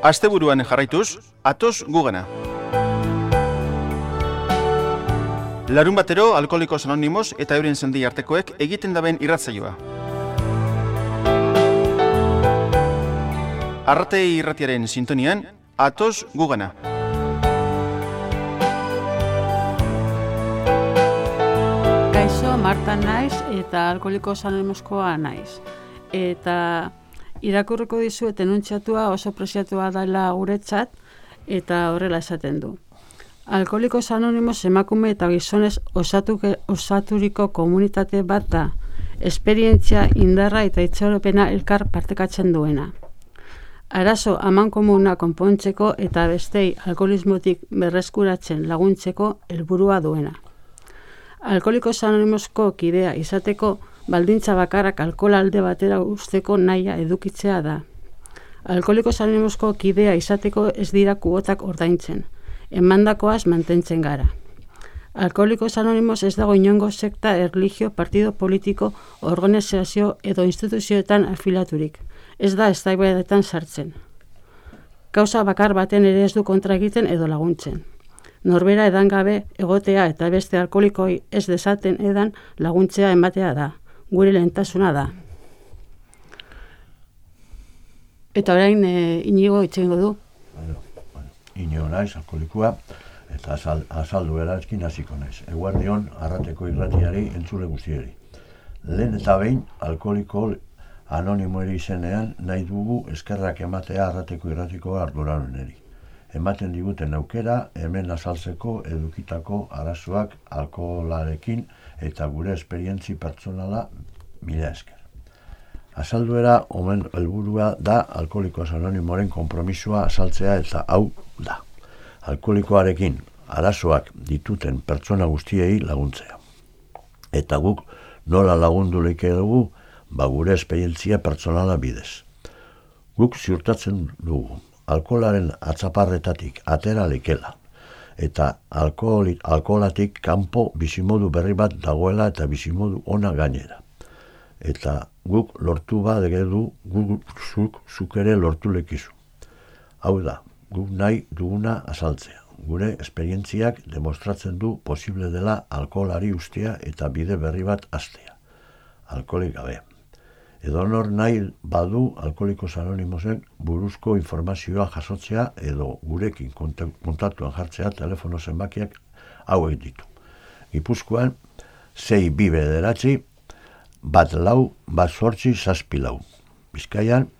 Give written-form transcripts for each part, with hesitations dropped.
Asteburuan jarraituz, atoz gugana. Larun batero, Alkoholikos Anonimos eta euren sendi artekoek egiten daben irratzaioa. Arrate irratiaren sintonian, atoz gugana. Kaixo, Marta naiz eta Alkoholikos Anonimoskoa naiz. Eta irakurriko dizuet enuntziatua oso preziatua dela guretzat eta horrela esaten du. Alkoholikos Anonimos emakume eta gizonez osaturiko komunitate bat da, esperientzia, indarra eta itxaropena elkar partekatzen duena. Arazo amankomuna konpontzeko eta bestei alkoholismotik berreskuratzen laguntzeko helburua duena. Alkoholikos Anonimosko kidea izateko baldintza bakarrak alkohola alde batera usteko nahia edukitzea da. Alkoholikos Anonimosko kidea izateko ez dira kuotak ordaintzen, emandakoaz mantentzen gara. Alkoholikos Anonimos ez dago inongo sekta, erlijio, partido politiko, organizazio edo instituzioetan afilaturik. Ez da eztabaidetan sartzen. Kausa bakar baten ere ez du kontra egiten edo laguntzen. Norbera edan gabe egotea eta beste alkoholikoi ez desaten edan laguntzea ematea da. Gure lehentasuna da. Eta orain Inigo itxengo du. Inigo naiz, alkoholikoa, eta azaldu erazkin hasiko naiz. Eguerdion, Arrateko irratiari entzule guztieri. Lehen eta behin, Alkoholiko Anonimoeri izenean nahi dugu eskerrak ematea Arrateko irratiko arduraduneri. Ematen diguten aukera, hemen azaltzeko edukitako arazoak alkoholarekin eta gure esperientzi pertsonala mila esker. Azalduera, omen helburua da Alkoholikos Anonimoren konpromisoa azaltzea eta hau da. Alkoholikoarekin arazoak dituten pertsona guztiei laguntzea. Eta guk nola lagundu leike dugu, gure esperientzia pertsonala bidez. Guk ziurtatzen dugu. Alkoholaren atzaparretatik atera lekela eta alkoholatik kanpo bizimodu berri bat dagoela eta bizimodu ona gainera. Eta guk lortu bat egedu, zuk ere lortu lekizu. Hau da, guk nahi duguna azaltzea. Gure esperientziak demostratzen du posible dela alkoholari ustea eta bide berri bat hastea. Alkoholik gabe. Edonor nahi badu Alkoholikos Anonimosen buruzko informazioa jasotzea edo gurekin kontaktuan jartzea telefono zenbakiak hauek ditu. Gipuzkoan 629 14 Bizkaian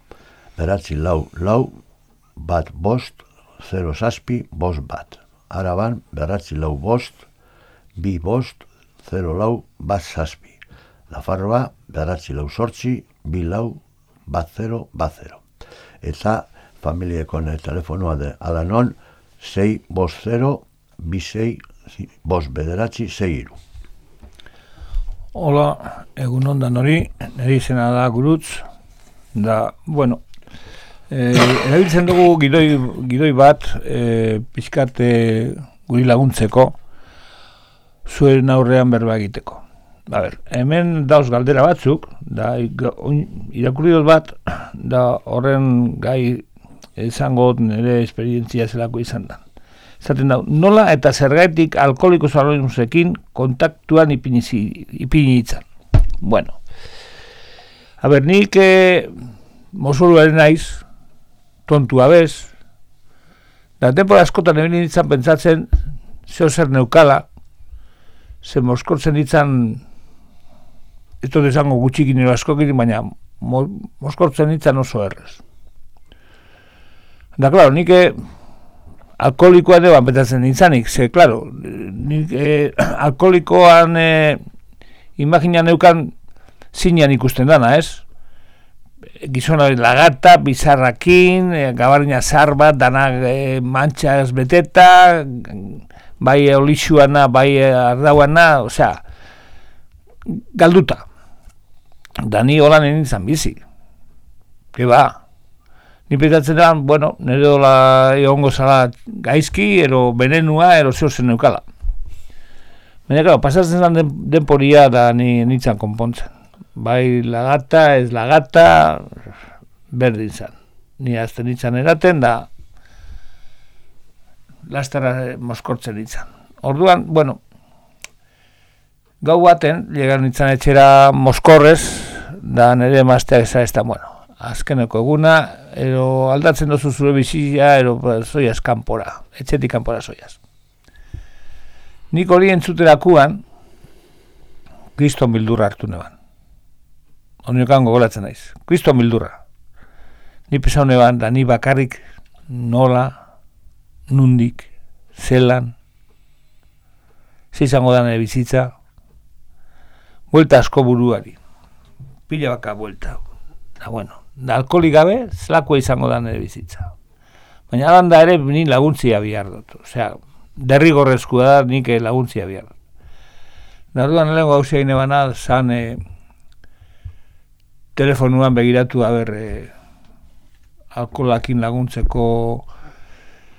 944 15 07 Araban 945 25 04 Nafarroa 948 24 Eta familiekon telefonoa de alanon 650 26 6 Hola, egunon da nori, nire izena da Gurutz, da, bueno, erabiltzen dugu gidoi bat, pixkat guri laguntzeko, zuen aurrean berba egiteko. A ber, hemen dauz galdera batzuk, da irakurri dut bat, da horren gai izango nire esperientzia zelako izan da. Zaten da, nola eta zergaitik Alkoholikos Anonimosekin kontaktuan ipini itzan. Bueno, a ber, nik mozuluaren naiz, tontua bez, da tempora askotan egin ditzan pentsatzen zeo zer neukala, ze moskortzen ditzan ez dut esango gutxikin ero askokin, baina moskortzen ditzan oso errez. Da, klaro, nik alkoholikoa deban betatzen nintzanik, ze, klaro, nik alkoholikoan imaginan neukan zinean ikusten dana, ez? Gizonaren lagata, bizarrakin, gabarina zar bat, dana mantxaz beteta, bai olixuana, bai ardauana, osea, galduta. Da ni holan nintzen bizi. Ke ba? Ni petatzen da, bueno, nire dola egongo zala gaizki, ero benenua, ero zeo zen neukala. Baina, claro, pasatzen zen denporia da nintzen konpontzen. Bai lagata, ez lagata, berdin zen. Ni azten nintzen eraten da, lasterra moskortzen ditzan. Orduan, bueno, gau baten, llegan nintzen etxera moskorrez, da nire emazteak ez da, bueno, azkeneko eguna, ero aldatzen dozu zure bizia, ero zoiaz kanpora, etxetik kanpora zoiaz. Nik hori entzuterakuan, kriston bildurra hartu neban. Honiokan gogoratzen naiz, kriston bildurra. Ni pesau neban, da ni bakarrik nola, nundik, zelan, izango da nire bizitza, buelta asko buruari, pila baka buelta. Da, bueno, da alkoholik gabe, zelakoa izango da nire bizitza. Baina alanda ere, ni laguntzia bihar dut. Osea, derrigorrezkoa da, nik laguntzia bihar dut. Da, orduan lehenko gauzia gine bana, zan telefonuan begiratu, alkoholakin laguntzeko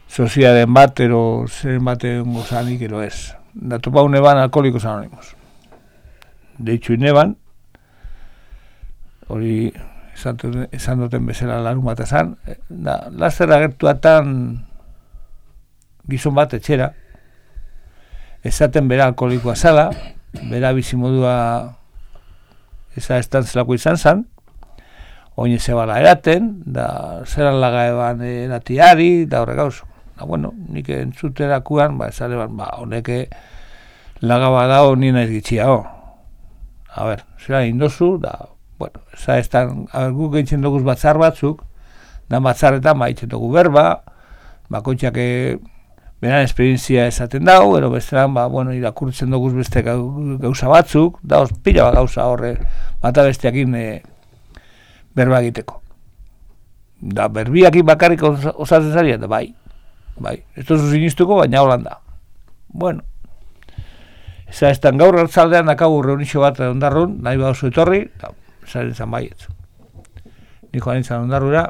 soziaden bat, ero zen baten gozanik, ero ez. Da, topau neban alkoholikos anonimos. Deitxu neban, hori esan duten bezala larun bat esan, da, laster agertuatan gizon bat etxera, esaten bera alkoholikoa zala, bera bizimodua eza estantzelako izan zan, oin zebala eraten, da zeran laga eban eratiari, da horrek gauzo. Da, bueno, nik entzuterakuan, esale ban, honeke laga badao nina ez gitxia, A ber, zera indozu, da, bueno, guk egiten duguz batzar batzuk, da batzarretan egiten dugu berba, bakoitzak beran esperientzia esaten dau, ero besteran, bueno, irakurtzen duguz beste gauza batzuk, da, pila bat gauza horre, bata besteakin berba egiteko. Da, berbiakin bakarrik osatzen zaria, da, bai, ez duzu sinistuko, baina holanda. Bueno, eza estan gaur hartzaldean dakagu reunixo bat ondarrun, nahi bauzu etorri, eta zaren zan baietz. Ni joan nintzen ondarrura,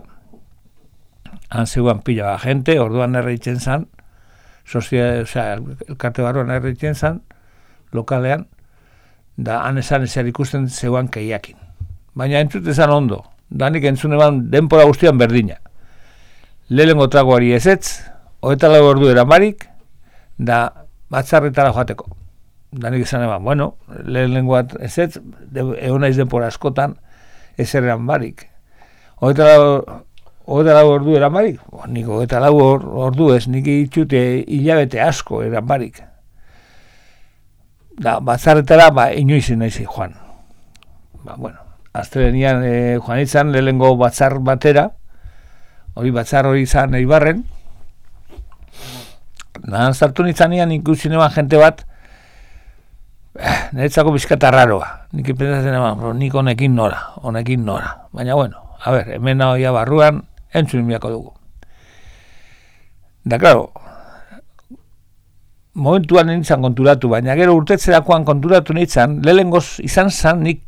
han zeuan pila bat gente, orduan erreitzen zan, elkarte barruan erreitzen zan, lokalean, da han esan ezer ikusten zeuan keiakin. Baina entzute zan ondo, da nik entzune ban denpora guztian berdina. Lehengo tragoari ezetz, 24 ordu eramarik, da batzarretara joateko. Da nik esan eban, bueno, lehenengoat ezetz, egon naiz denpora askotan, ezerrean barik. 24 ordu eran barik? Nik 24 ordu ez, nik itxute hilabete asko eran barik. Da, batzarretara, inoizin naizi joan. Bueno, astelenian joan izan, lehenengo batzar batera, hori batzar hori izan Eibarren, nahan zartu nintzanean ikusi neban jente bat, niretzako bizkata raroa. Nik pensatzen eman, nik honekin nora. Baina, bueno, a ber, hemen hoia barruan, entzun biako dugu. Da, klaro, momentuan nintzen konturatu, baina gero urtetzerakoan konturatu nintzen, lehengoz izan zan nik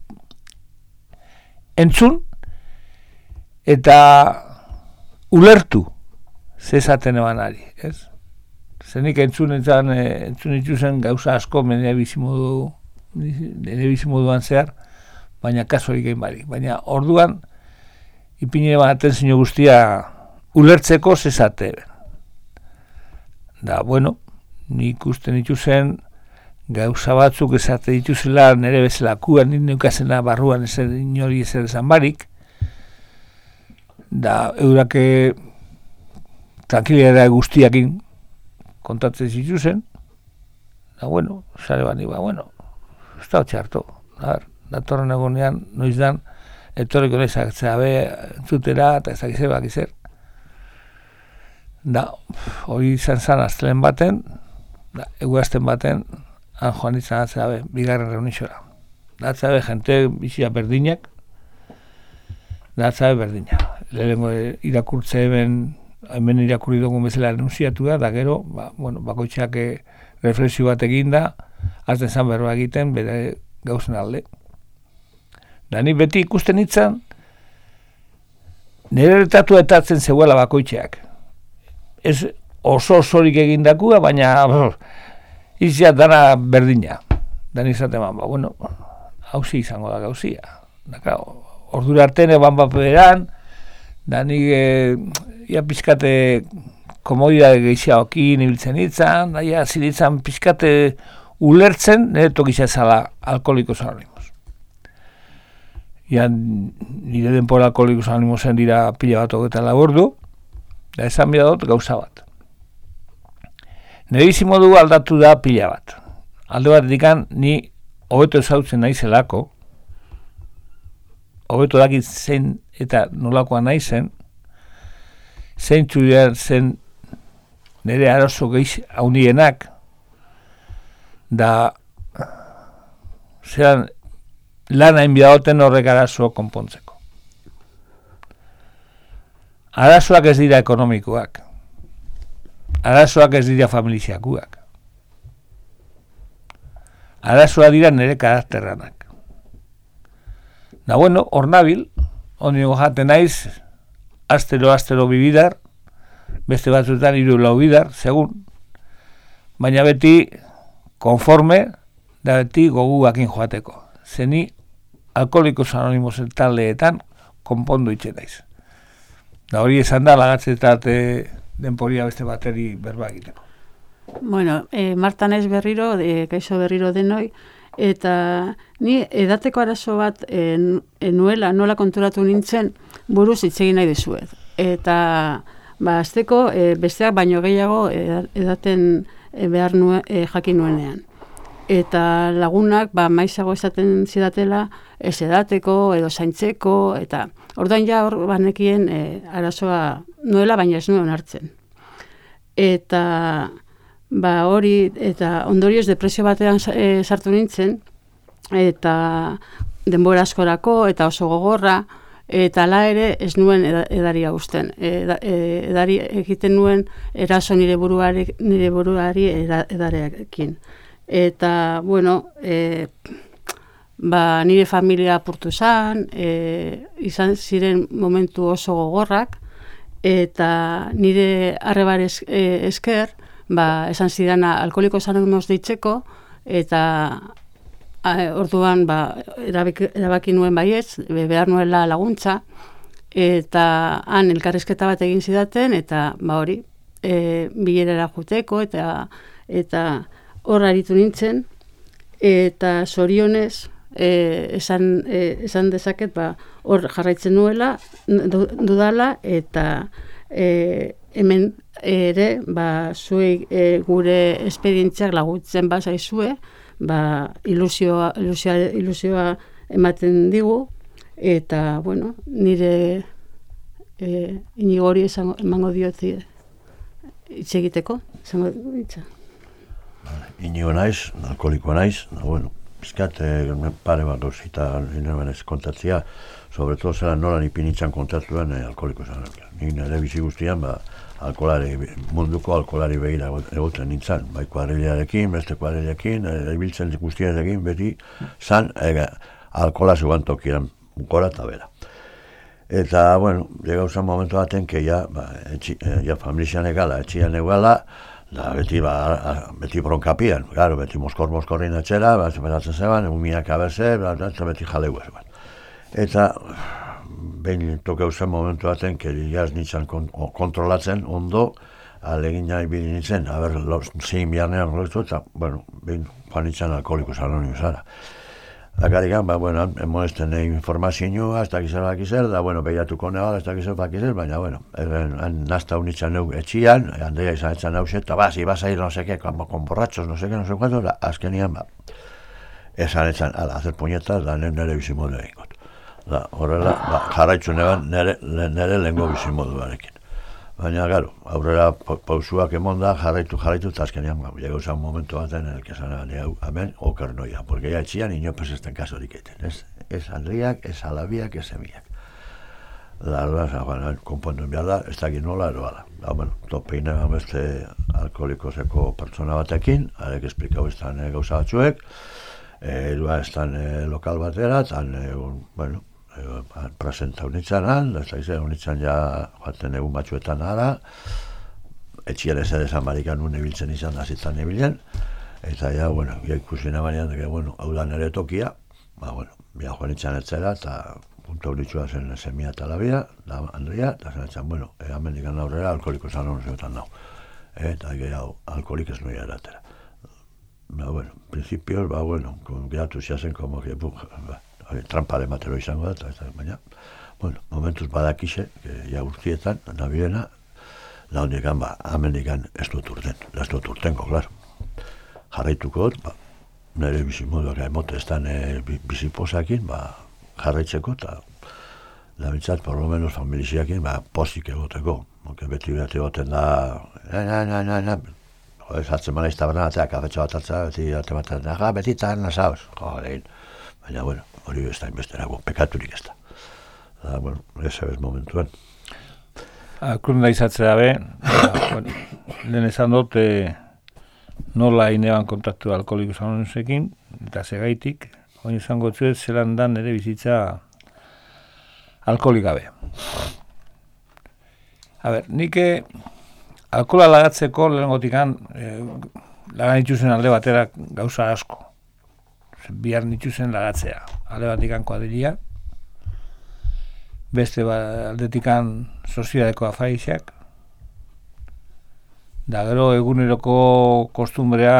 entzun eta ulertu zezaten eban ari, ez? Zenik entzun itzuzen gauza asko nire bizimoduan zehar, baina kasurik egin barik. Baina orduan, ipinire ban atentzio guztia ulertzeko zezate. Da, bueno, nik usten itzuzen gauza batzuk esate dituzela nire bezalakuan, nik neukazena barruan inori ezer esan barik. Da, eurake tranquilera guztiakin kontatzen zituzen, da, bueno, sare bani, bueno, ez da hotxarto, datorren egonean, noiz dan, etorriko nezak zabe entzutera, eta ezak bakizer. Da, hori izan zan astelen baten, eguazten baten, han joan izan atzabe, bigarren reunixora. Da, atzabe, jente bizia berdinak, da, atzabe berdina. Lehenengo irakurtze hemen irakurri dugun bezala renunziatu da gero, bakoitzak reflexio bat egin da, azten zan berroa egiten, bere gauzen alde. Da, ni beti ikusten nintzen, nire retatu etatzen zeuela bakoitzeak. Ez oso-osorik egindakua, baina izia dana berdina. Da, izaten bueno, hauzi izango da gauzia. Da, ordura artene ban baperan, da, nik ia pizkate komodidade gehiagokin ibiltzen itzan, daia ziritzan pixkate ulertzen, nire tokitza zala Alkoholikos Anonimos. Nire denpora Alkoholikos Anonimosen dira pila bat 24 ordu, da esan bida dut gauza bat. Nire bizimodu aldatu da pila bat. Alde bat dikan, ni hobeto ezautzen naizelako, hobeto dakit zein eta nolakoa naizen, zein txudean zen nire arazo gehiz haunienak, da zeran lan hain bidagoten horrek arazo konpontzeko. Arazoak ez dira ekonomikoak, arazoak ez dira familiziakuak, arazoa dira nire karakterranak. Da bueno, hor nabil, ondigo jaten naiz, astero bibidar, beste batzuetan 3-4 bidar, segun, baina beti konforme, da beti goguakin joateko. Zeni Alkoholikos Anonimosen taldeetan konpondu itxe naiz. Da hori esan da, lagatzetat denporia beste bateri berba egiteko. Bueno, Marta naiz berriro, kaixo berriro denoi, eta ni edateko arazo bat nuela, nola konturatu nintzen, buruz hitz egin nahi dizuet. Eta azteko besteak baino gehiago edaten behar jakin nuenean. Eta lagunak maizago esaten zidatela ez edateko edo zaintzeko, eta orduan ja hor banekien arazoa nuela, baina ez nuen hartzen. Eta hori, eta ondorioz depresio batean sartu nintzen, eta denbora askorako, eta oso gogorra, eta ala ere ez nuen edaria gusten. Edari egiten nuen eraso nire buruari edarekin. Eta, bueno, nire familia apurtu zan, izan ziren momentu oso gogorrak, eta nire arrebar esker, esan zidana Alkoholikos Anonimos deitzeko, eta orduan erabaki nuen baietz, behar nuela laguntza, eta han elkarrizketa bat egin zidaten, eta hori, bilerara juteko, eta hor aritu nintzen, eta zorionez, esan dezaket, hor jarraitzen nuela, dudala, eta hemen ere, zuei gure esperientziak laguntzen bazaizue, ilusioa ematen digu, eta, bueno, nire inigori emango diotzi hitz egiteko, esango hitza. Inigo naiz, alkoholikoa naiz, bueno, pizkat pare bat gauzita nirebenez kontatzia, sobretodo zela nola nipinitzan kontatuan Alkoholikos Anonimos. Ni nire bizi guztian, munduko alkoholari begira egoten nintzen, bai kuadrilarekin, beste kuadrilarekin, ibiltzen guztiarekin, beti zan alkohola zegoen tokian gora eta bera. Eta, bueno, gauzan momentu baten, que ja familizian egala, etxian egala, da beti bronkapian, claro, beti moskorrin etxera, beratzen zeban, umiak aberze, beti jaleu zeban. Eta, behin toke uzen momentu baten, jaz nintzen kontrolatzen ondo, alegin nahi bide nintzen, zein biharnean lortu, eta, bueno, behin joan nintzen Alkoholikos Anonimosara. Akarikan, emonesten informazioa, ez dakizer bakizer, da, bueno, behiatuko nebala, ez dakizer bakizer, baina, bueno, nazta unitzen neu etxian, handeia izan etzan hau zeta, ibas no seke, con borratxos, no seke, no sé cuánto, azkenian, esan etzan, hacer puñetas, da nire bizimodu egingot. Da, horrela, jarraitzu neban nire lehengo bizimoduarekin. Baina, garo, aurrera pausuak emonda, jarraitu, eta azkenean, llega usan momentu baten en el que esan hemen, oker noia, porque ya etxian inopes esten kasorik eten, ez Andriak, ez Alabiak, ez Emiak. Da, konpontu behar da, ez dakit nola, ero ala. Da, bueno, topein egan beste alkoholikoseko pertsona batekin, arek esplikau estan gauza batzuek, edua estan lokal batera, tan, bueno, presenta unitzen han, ez da izan unitzen ja joaten egun batzuetan ara, etxian ez edezan barikan nun ebiltzen izan da zitan ebilen, eta ja, ikusi nabanean, hau da nire tokia, bueno, bia joan itzan etzera, eta puntu hauritxua zen semia eta labia, da Andrea, eta zen bueno, amendikan aurrera alkoholikos anonimosetan nau. Eta gehiago, alkoholik ez noia eratera. Bueno, principios, bueno, geratu ziazen, como que, trampale matero izango da, eta baina, bueno, momentuz badakixe, ja urtietan, nabilena, da hondikan, amendikan ez dut urtenko, klaro. Jarraituko dut, nire bizimoduak emote ez da biziposakin, jarraitzeko, eta da bintzat, por lo menos, familiziakin, posik egoteko. Beti behar egoten da, hartzen mana iztabarna, kafetxo bat hartzen, beti eta nasauz, baina, bueno, hori ez da inbesterako, pekaturik ez da. Da, bueno, ez ebez momentuan. Kurunda izatzea be, lehen esan dut, nola ineban kontaktu alkoholikos anonimosekin, eta segaitik, hori izango zuet, zelan dan ere bizitza alkoholik gabe. A ber, nik alkohola lagatzeko lehenengotikan lagan itxuzen alde batera gauza asko. Bihar nitxuzen lagatzea. Alde batikan kuadrilla, beste aldetikan soziadeko afaixak, da gero eguneroko kostumbrea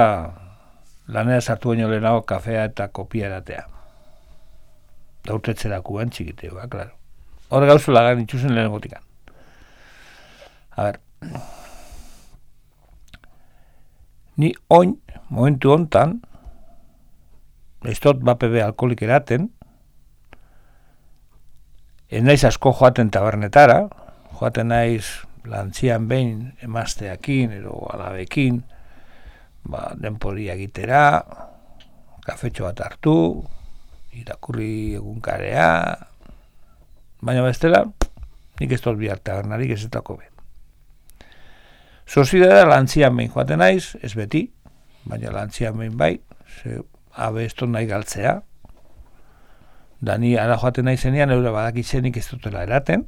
lanera sartu baino lehenago kafea eta kopia eratea. Da urtetzerakuan txikiteo, klaro. Hor gauza lagan itxuzen lehenengotikan. A ber, ni oin, momentu hontan, ez dut bapebe alkoholik eraten, ez naiz asko joaten tabernetara, joaten naiz lantzian behin emazteakin, edo alabekin, denporia egitera, kafetxo bat hartu, irakurri egunkarea, baina bestela, nik ez dut bihar tabernarik ez etako be. Soziedadea lantzian behin joaten naiz, ez beti, baina lantzian behin bai, abe ez dut nahi galtzea. Da ni ara joaten naizenean, eura badakitzenik ez dutela eraten.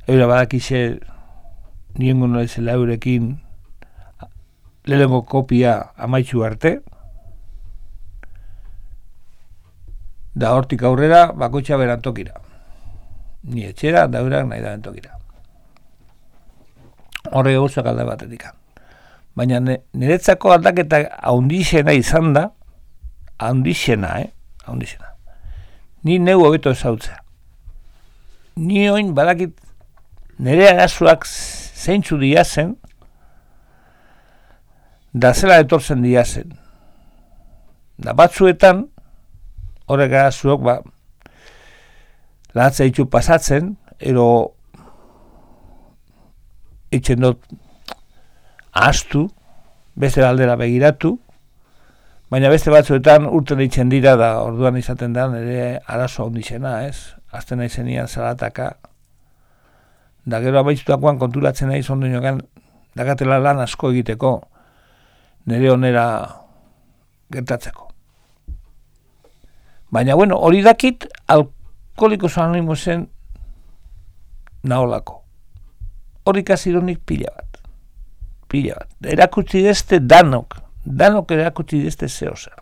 Eura badakitze niengo naizela eurekin lehenengo kopia amaitzu arte. Da hortik aurrera, bakoitza berantokira. Ni etxera, da eurak nahi da bentokira. Horre gauzak alde batetik. Baina niretzako aldaketa haundixena izan da, haundixena. Ni neu hobeto ezautzea. Ni oin badakit nire arazoak zeintzu diazen, da zela etortzen diazen. Da batzuetan, horrek arazoak, lahatzea ditu pasatzen, ero itxen dut ahaztu, beste aldera begiratu, baina beste batzuetan urten itxen dira da orduan izaten da nire arazo handizena, ez? Azten naizenian zalataka, da gero abaitutakoan konturatzen naiz ondo inokan dakatela lan asko egiteko nire onera gertatzeko. Baina, bueno, hori dakit alkoholikos anonimosen naholako. Hori kazironik pila bat. Erakutsi dezte danok erakutsi dezte zehozer.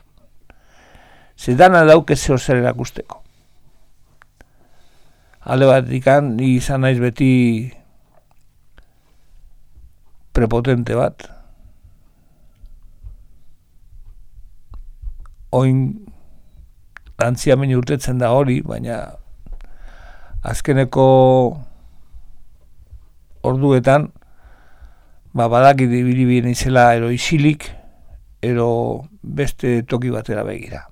Ze dana dauke zehozer erakusteko. Alde bat dikan, ni izan naiz beti prepotente bat. Oin lantziamen urtetzen da hori, baina azkeneko orduetan, badakit ibili izela ero isilik, ero beste toki batera begira.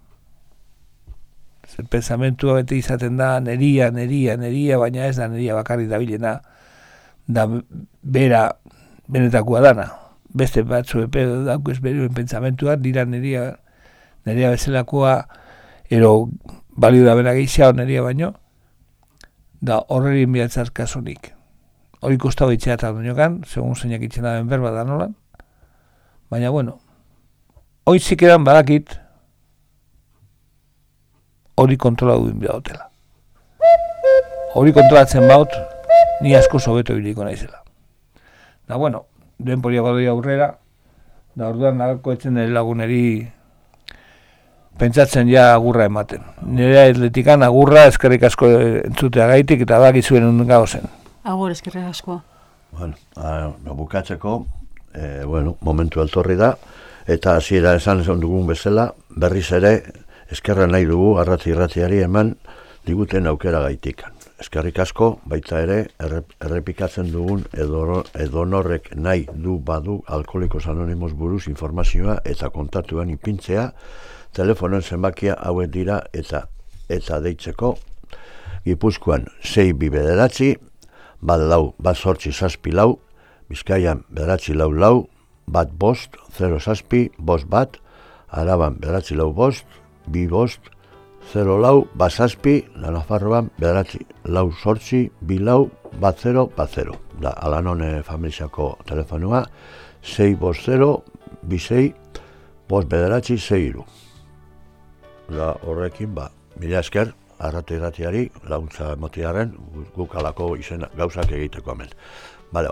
Zer pensamentua bete izaten da, neria, baina ez da neria bakarrik dabilena, da bera benetakoa dana. Beste batzu epedo dauk ez beruen pensamentua, dira neria bezalakoa, ero balio da bera gehiago neria baino, da horreri inbiatzaz kasunik. Hori kostau itxea eta duñokan, segun zeinak itxena den berba da nolan. Baina, bueno, hori zikeran badakit, hori kontrola duen bida hotela. Hori kontrolatzen baut, ni asko sobeto biliko naizela. Da, bueno, denporia badoi aurrera, da orduan nagako etzen nire laguneri pentsatzen ja agurra ematen. Nire atletikan agurra eskerrik asko entzutea gaitik eta bakizuen gauzen. Agur, eskerrik asko. Bueno, bukatzeko, momentu altorri da, eta hasiera esan dugun bezala, berriz ere, eskerra nahi dugu irratiari eman diguten aukera gaitik. Eskerrik asko, baita ere, errepikatzen dugun edonorrek nahi badu Alkoholikos Anonimos buruz informazioa eta kontatuen ipintzea, telefonoen zenbakia hauek dira eta deitzeko Gipuzkoan 629, bat 874, Bizkaian 944, bat 507, Araban 945, 2504, Basazpi, Nafarroan 948, 24, da Alanone familiako telefonua 650-26-5963. Da horrekin, mila esker, irratiari laguntza emotiaren guk alako gauzak egiteko hemen. Bale,